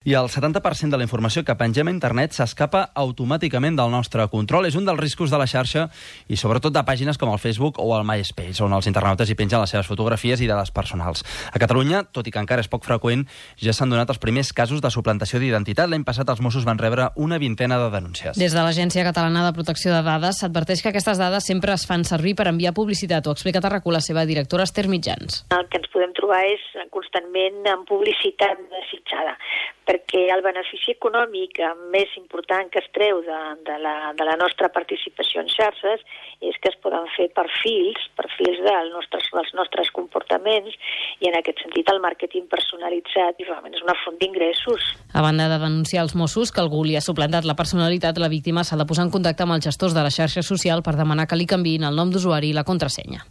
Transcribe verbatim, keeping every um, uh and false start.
I el setanta per cent de la informació que pengem a internet s'escapa automàticament del nostre control. És un dels riscos de la xarxa i sobretot de pàgines com el Facebook o el MySpace, on els internautes hi pengen les seves fotografies i dades personals. A Catalunya, tot i que encara és poc freqüent, ja s'han donat els primers casos de suplantació d'identitat. L'any passat els Mossos van rebre una vintena de denúncies. Des de l'Agència Catalana de Protecció de Dades s'adverteix que aquestes dades sempre es fan servir per enviar publicitat. Ho explica a R A C U la seva directora Esther Mitjans. El que ens podem trobar és constantment en publicitat desitjada, perquè el benefici econòmic més important que es treu de, de, la, de la nostra participació en xarxes és que es poden fer perfils, perfils dels nostres, dels nostres comportaments, i en aquest sentit el màrqueting personalitzat i realment és una font d'ingressos. A banda de denunciar els Mossos que algú li ha suplantat la personalitat, la víctima s'ha de posar en contacte amb els gestors de la xarxa social per demanar que li canviïn el nom d'usuari i la contrasenya.